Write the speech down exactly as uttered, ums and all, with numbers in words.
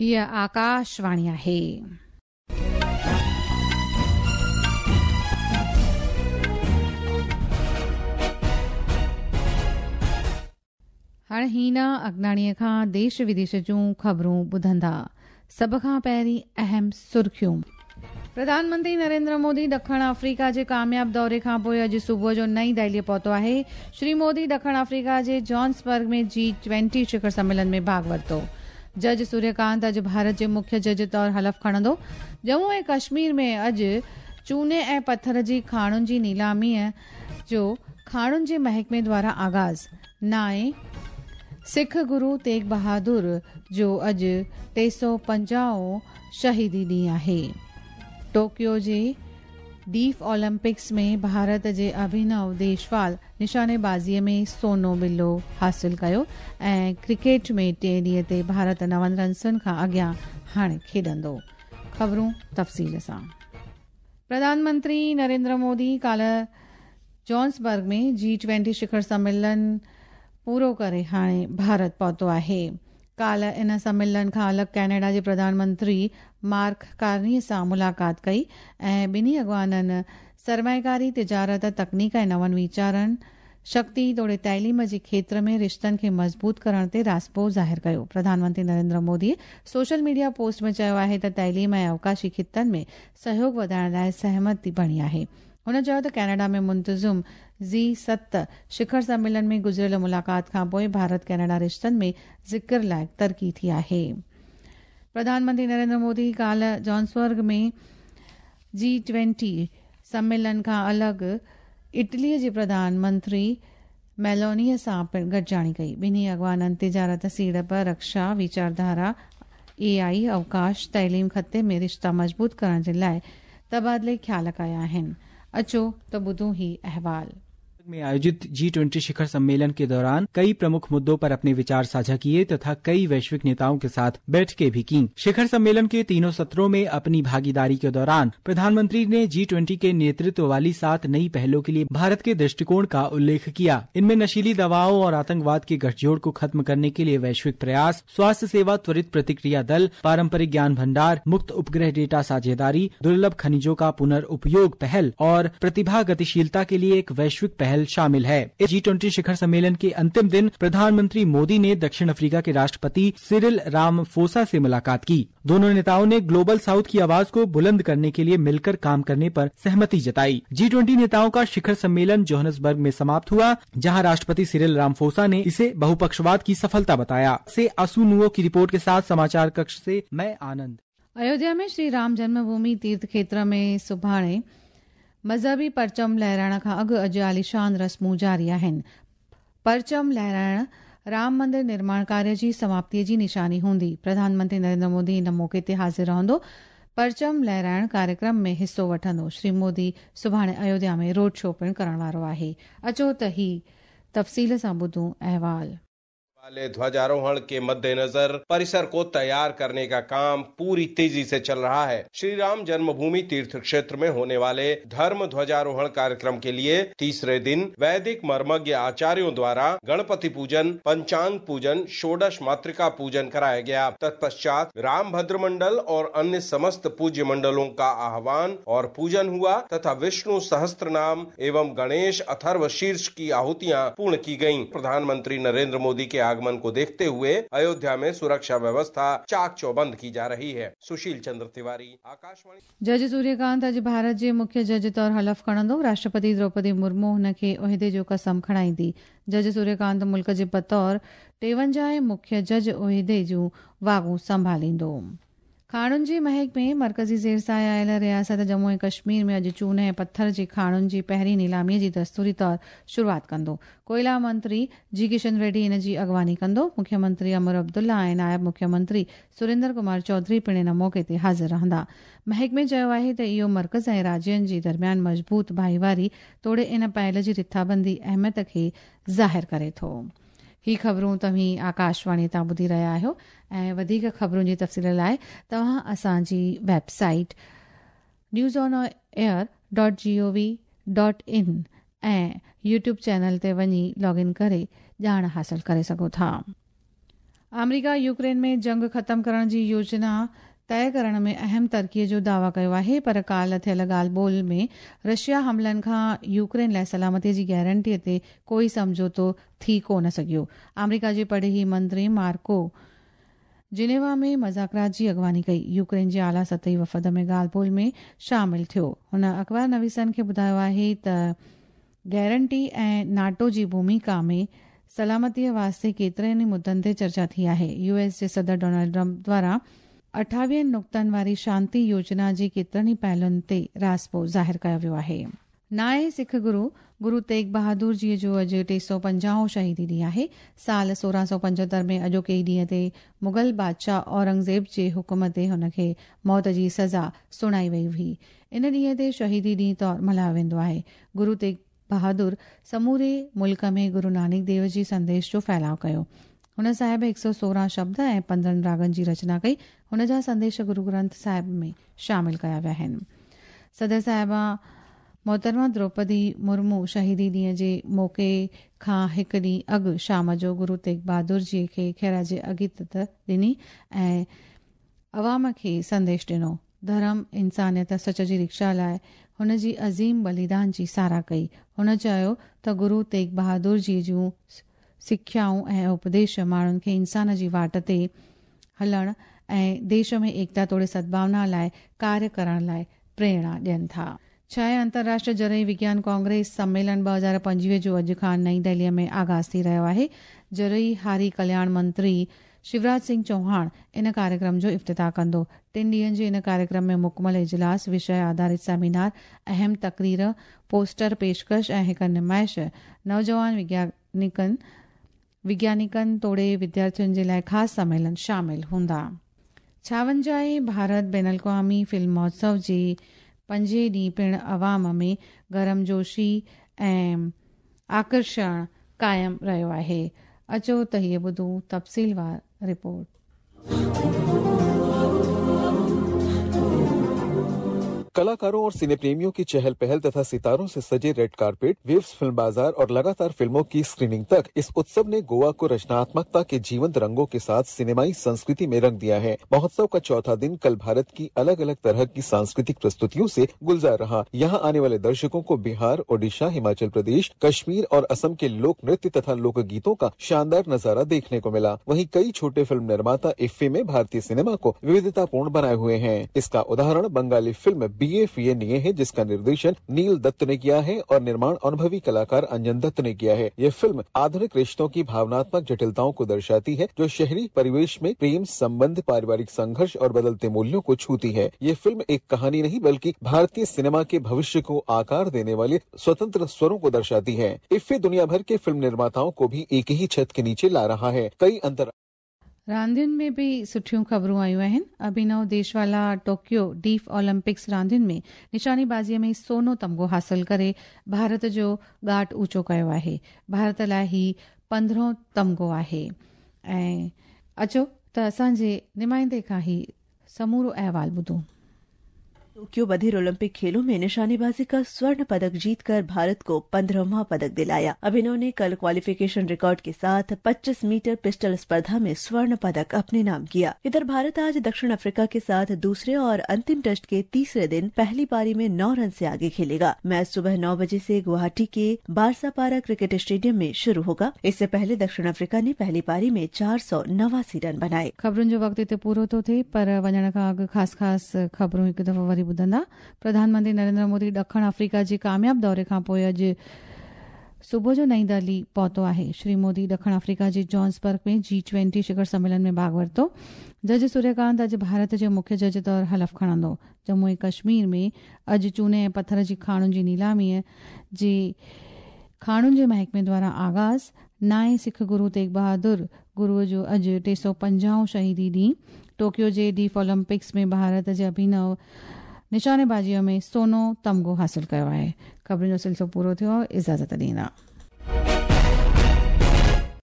हीअ आकाशवाणी आहे। हाणे हीना अगनाणीअ खां देश विदेश जूं ख़बरूं ॿुधंदा। सभ खां पहिरीं अहम सुर्खियूं। प्रधानमंत्री नरेंद्र मोदी ॾखण अफ्रीका जे कामयाब दौरे खां पोइ अॼु सुबुह जो नई दिल्लीअ पहुतो आहे। श्री मोदी ॾखण अफ्रीका जे जॉन्सबर्ग में जी ट्वेंटी शिखर सम्मेलन में भाॻ वरितो। जज सूर्यकांत अॼु भारत जे मुख्य जज तौर हलफ खणंदो। जम्मू ऐं कश्मीर में अॼु चूने ऐं पथर जी खाणुनि जी नीलामीअ जो खाणुनि जे महकमे द्वारा आगाज़। नाए सिख गुरू तेग बहादुर जो अॼु टे सौ पंजाहों शहीदी ॾींहुं आहे। टोक्यो जे डीफ ओलंपिक्स में भारत जे अभिनव देशवाल निशानेबाज़ीअ में सोनो बिल्लो हासिल कयो ऐं क्रिकेट में टे ॾींहं ते भारत नवनि रन्सुनि खां अॻियां हाणे खेॾंदो। ख़बरूं तफ़सील सां। प्रधानमंत्री नरेंद्र मोदी काल्ह जॉन्सबर्ग में जी ट्वेंटी शिखर सम्मेलन पूरो करे हाणे भारत पहुतो आहे। काल्ह इन सम्मेलन खां अलॻि कनाडा जे प्रधानमंत्री मार्क कार्नी सां मुलाक़ात कई ऐं ॿिन्ही अॻवाननि सरमायेकारी, तिजारत, तकनीक ऐं नवनि वीचारनि, शक्ति तोड़े तइलीम जे क्षेत्र में रिश्तनि खे मज़बूत करण ते राज़िपो ज़ाहिर कयो। प्रधानमंत्री Narendra Modi social media post में चयो आहे त तइलीम ऐं अवकाशी ख़ितनि में सहयोग वधाइण लाइ सहमति बणी आहे। हुन चयो त कनाडा में मुंतज़िम जी सत शिखर सम्मेलन में गुज़िरियल मुलाक़ात खां पोइ भारत कनाडा रिश्तनि में ज़िक्र लाइक़ तरक़ी थी आहे। प्रधानमंत्री नरेंद्र मोदी काल्ह जॉन्सबर्ग में जी ट्वेंटी सम्मेलन खां अलॻि इटलीअ जे प्रधानमंत्री मेलोनीअ सां पिणु गॾिजाणी कई। ॿिन्ही अॻवाननि तिजारत, सीड़प, रक्षा, वीचारधारा, ए आई, अवकाश, तइलीम ख़िते में रिश्ता मज़बूत करण जे लाइ तबादिले ख़्याल कया आहिनि। अचो त ॿुधूं ही अहवाल। में आयोजित जी ट्वेंटी शिखर सम्मेलन के दौरान कई प्रमुख मुद्दों पर अपने विचार साझा किए तथा कई वैश्विक नेताओं के साथ बैठकें भी की। शिखर सम्मेलन के तीनों सत्रों में अपनी भागीदारी के दौरान प्रधानमंत्री ने जी ट्वेंटी के नेतृत्व वाली सात नई पहलों के लिए भारत के दृष्टिकोण का उल्लेख किया। इनमें नशीली दवाओं और आतंकवाद के गठजोड़ को खत्म करने के लिए वैश्विक प्रयास, स्वास्थ्य सेवा त्वरित प्रतिक्रिया दल, पारंपरिक ज्ञान भंडार, मुक्त उपग्रह डेटा साझेदारी, दुर्लभ खनिजों का पुनर्उपयोग पहल और प्रतिभा गतिशीलता के लिए एक वैश्विक पहल शामिल है। जी ट्वेंटी शिखर सम्मेलन के अंतिम दिन प्रधानमंत्री मोदी ने दक्षिण अफ्रीका के राष्ट्रपति सिरिल रामफोसा से मुलाकात की। दोनों नेताओं ने ग्लोबल साउथ की आवाज को बुलंद करने के लिए मिलकर काम करने पर सहमति जताई। जी ट्वेंटी नेताओं का शिखर सम्मेलन जोहान्सबर्ग में समाप्त हुआ, जहां राष्ट्रपति सिरिल रामफोसा ने इसे बहुपक्षवाद की सफलता बताया। से असुनुओ की रिपोर्ट के साथ समाचार कक्ष से मैं आनंद। अयोध्या में श्री राम जन्मभूमि तीर्थ क्षेत्र में सुभाणे मज़हबी परचम लहराइण खां अॻु अॼु आलीशान रस्मूं जारी आहिनि। परचम लहराइण राम मंदिर निर्माण कार्य जी समाप्तीअ जी निशानी हूंदी। प्रधानमंत्री नरेंद्र मोदी इन मौक़े ते हाज़िर रहंदो। परचम लहराइण कार्यक्रम में हिसो वठंदो। श्री मोदी सुभाणे अयोध्या में रोड शो पिणु करण वारो आहे। अचो त ही तफ़सील सां ॿुधूं अहवाल। वाले ध्वजारोहण के मद्देनजर परिसर को तैयार करने का काम पूरी तेजी से चल रहा है। श्री राम जन्मभूमि तीर्थ क्षेत्र में होने वाले धर्म ध्वजारोहण कार्यक्रम के लिए तीसरे दिन वैदिक मर्मज्ञ आचार्यों द्वारा गणपति पूजन, पंचांग पूजन, षोडश मातृका पूजन कराया गया। तत्पश्चात राम भद्र मंडल और अन्य समस्त पूज्य मंडलों का आह्वान और पूजन हुआ तथा विष्णु सहस्त्रनाम एवं गणेश अथर्व शीर्ष की आहुतियाँ पूर्ण की गयी। प्रधानमंत्री नरेंद्र मोदी के आगमन को देखते हुए अयोध्या में सुरक्षा व्यवस्था चाक चौबंद की जा रही है। सुशील चंद्र तिवारी, आकाशवाणी। जज सूर्यकांत अॼु भारत जे मुख्य जज तौर हलफ खणंदो। राष्ट्रपति द्रौपदी मुर्मू हुनखे उहिदे जो कसम खणाईंदी। जज सूर्यकांत मुल्क जे बतौर टेवंजाह मुख्य जज उहिदे जूं वाॻूं संभालींदो। खाणुनि जे महकमे मर्कज़ी ज़ेर साए आयल रियासत जम्मू ऐं कश्मीर में अॼु चून ऐं पथर जे खाणुनि जी पहिरीं नीलामीअ जी दस्तूरी तौर शुरूआत कंदो। कोयला मंत्री जी किशन रेड्डी इन जी अॻवानी कंदो। मुख्यमंत्री अमर अब्दुल्ला ऐं नायब मुख्यमंत्री सुरेंद्र कुमार चौधरी पिणु इन मौक़े ते हाज़िर रहंदा। महकमे चयो आहे त इहो मर्कज़ ऐं राज्यनि जे दरमियान मज़बूत भाईवारी तोड़े इन पहल जी रिथाबंदी अहमियत खे ज़ाहिर करे थो। ही ख़बरूं तव्हीं आकाशवाणी तां ॿुधी रहिया आहियो ऐं वधीक ख़बरुनि जी तफ़सील लाइ तव्हां असांजी website news on air dot G O V dot in ऐं यूट्यूब चैनल ते वञी लॉग इन करे ॼाण हासिल करे सघो था। आमेरिका यूक्रेन में जंग ख़त्म करण जी योजना तय करण में अहम तरक़ीअ जो दावा कयो आहे, पर काल्ह थियल ॻाल्हि ॿोल में रशिया हमलनि खां यूक्रेन लाइ सलामतीअ जी गारंटीअ ते कोई सम्झौतो थी कोन सघियो। आमेरिका जे परॾेही मंत्री मार्को जिनेवा में मज़ाकरात जी अॻवानी कई। यूक्रेन जे आला सतही वफ़द में ॻाल्हि ॿोल में शामिल थियो। हुन अख़बार नवीसनि खे ॿुधायो आहे त गारंटी ऐं नाटो जी भूमिका में सलामतीअ वास्ते केतिरनि ई मुद्दनि ते चर्चा थी आहे। यूएस जे सदर डोनाल्ड ट्रंप द्वारा अठावीहनि नुक़्तनि वारी शांति योजना जे केतिरनि ई पहलुनि ते राज़पो ज़ाहिर कयो वियो आहे। नाए सिख गुरू गुरू तेग बहादुर जीअ जो अॼु टे सौ पंजाहों शहीदी ॾींहुं आहे। साल सोरहं सौ पंजहतरि में अॼोके ई ॾींहं ते मुग़ल बादशाह औरंगज़ेब जे हुक्म ते हुनखे मौत जी सज़ा सुणाई वई हुई। इन ॾींहं ते शहीदी ॾींहुं तौरु मल्हायो वेंदो आहे। गुरू तेग बहादुर समूरे मुल्क में गुरू नानक देव जी संदेश जो फैलाव कयो। हुन साहिब हिकु सौ सोरहं शब्द ऐं पंद्रहं रागनि जी रचना कई। हुन जा संदेश गुरू ग्रंथ साहिब में शामिल कया विया आहिनि। सदर साहिबा मोहतरमा द्रौपदी मुर्मू शहीदी ॾींहं जे मौक़े खां हिकु ॾींहुं अॻु शाम जो गुरू तेग बहादुर जी खे ख़िराज अक़ीदत ॾिनी ऐं अवाम खे संदेश ॾिनो। धर्म, इंसानियत, सच जी रिक्षा लाइ हुन जी अज़ीम बलिदान जी साराह कई। हुन चयो त गुरू तेग बहादुर जी जूं सिख्याऊं ऐं उपदेश माण्हुनि खे इंसान जी वाट ते हलण ऐं देश में एकता तोड़े सद्भावना लाइ कार्य करण लाइ प्रेरणा ॾियनि था। छह अंतर्राष्ट्रीय ज़रई विज्ञान कांग्रेस सम्मेलन ॿ हज़ार पंजवीह जो अॼु खां नई दिल्लीअ में आगाज़ थी रहियो आहे। ज़रई हारी कल्याण मंत्री शिवराज सिंह चौहान इन कार्यक्रम जो इफ्तिताह कंदो। टिनि ॾींहंनि जे इन कार्यक्रम में मुकमल इजलास, विषय आधारित सेमिनार, अहम तकरीर, पोस्टर पेशकश ऐं हिकु नुमाइश नौजवान वैज्ञानिकनि वैज्ञानिकनि तोड़े विद्यार्थियुनि जे लाइ ख़ासि सम्मेलन शामिल हूंदा। छावंजाहें भारत बैन अल-अक़वामी फिल्म महोत्सव जे पंजे ॾींहुं पिणु अवाम में गर्मजोशी ऐं आकर्षण क़ाइमु रहियो आहे। अचो त हीअ ॿुधूं तफ़सीलवार रिपोर्ट। कलाकारों और सिने प्रेमियों की चहल पहल तथा सितारों से सजे रेड कारपेट, वेव्स फिल्म बाजार और लगातार फिल्मों की स्क्रीनिंग तक इस उत्सव ने गोवा को रचनात्मकता के जीवंत रंगों के साथ सिनेमाई संस्कृति में रंग दिया है। महोत्सव का चौथा दिन कल भारत की अलग अलग तरह की सांस्कृतिक प्रस्तुतियों से गुलजार रहा। यहाँ आने वाले दर्शकों को बिहार, ओडिशा, हिमाचल प्रदेश, कश्मीर और असम के लोक नृत्य तथा लोक गीतों का शानदार नजारा देखने को मिला। वहीं कई छोटे फिल्म निर्माता इफ्फी में भारतीय सिनेमा को विविधतापूर्ण बनाए हुए हैं। इसका उदाहरण बंगाली फिल्म बीए फीए निये है, जिसका निर्देशन नील दत्त ने किया है और निर्माण अनुभवी कलाकार अंजन दत्त ने किया है। यह फिल्म आधुनिक रिश्तों की भावनात्मक जटिलताओं को दर्शाती है, जो शहरी परिवेश में प्रेम संबंध, पारिवारिक संघर्ष और बदलते मूल्यों को छूती है। ये फिल्म एक कहानी नहीं बल्कि भारतीय सिनेमा के भविष्य को आकार देने वाले स्वतंत्र स्वरों को दर्शाती है। इफ्फी दुनिया भर के फिल्म निर्माताओं को भी एक ही छत के नीचे ला रहा है। कई अंतर रांदियुनि में बि सुठियूं ख़बरूं आयूं आहिनि। अभिनव देशवाला टोक्यो डीफ ओलंपिक्स रांदियुनि में निशानेबाज़ीअ में सोनो तमगो हासिल करे भारत जो ॻाट ऊंचो कयो आहे। भारत लाइ ही पंद्रहों तमगो आहे। ऐं अचो त असांजे नुमाइंदे खां ही समूरो अहवाल ॿुधूं। टोक्यो बधिर ओलंपिक खेलों में निशानेबाजी का स्वर्ण पदक जीतकर भारत को पंद्रहवां पदक दिलाया। अभिनव ने कल क्वालिफिकेशन रिकॉर्ड के साथ पच्चीस मीटर पिस्टल स्पर्धा में स्वर्ण पदक अपने नाम किया। इधर भारत आज दक्षिण अफ्रीका के साथ दूसरे और अंतिम टेस्ट के तीसरे दिन पहली पारी में नौ रन से आगे खेलेगा। मैच सुबह नौ बजे से गुवाहाटी के बारसापारा क्रिकेट स्टेडियम में शुरू होगा। इससे पहले दक्षिण अफ्रीका ने पहली पारी में चार सौ नवासी रन बनाए। ख़बरुनि जो वक़्तु हिते पूरो थो थिए, पर वञण खां अॻु ख़ासि ख़ासि ख़बरूं हिकु दफ़ो वरी ॿुधंदा। प्रधानमंत्री नरेंद्र मोदी ॾखण अफ्रीका जे कामयाब दौरे खां पोइ अॼु सुबुह जो नई दिल्ली पहुतो आहे। श्री मोदी ॾखण अफ्रीका जे जॉन्सबर्ग में जी ट्वेंटी शिखर सम्मेलन में भाॻ वरितो। जज सूर्यकांत अॼु भारत जे मुख्य जज तौरु हलफ खणंदो। जम्मू ऐं कश्मीर में अॼु चूने ऐं पथर जी खाणुनि जी नीलामीअ जे खाणुनि जे महकमे द्वारा आगाज़। नाए सिख गुरू तेग बहादुर गुरूअ जो अॼु टे सौ पंजाहों शहीदी ॾींहुं। टोक्यो जे डीफ ओलंपिक्स में भारत जे अभिनव निशानेबाज़ीअ में सोनो तमगो हासिल कयो आहे। ख़बरुनि जो सिलसिलो पूरो थियो, इजाज़त ॾींदा।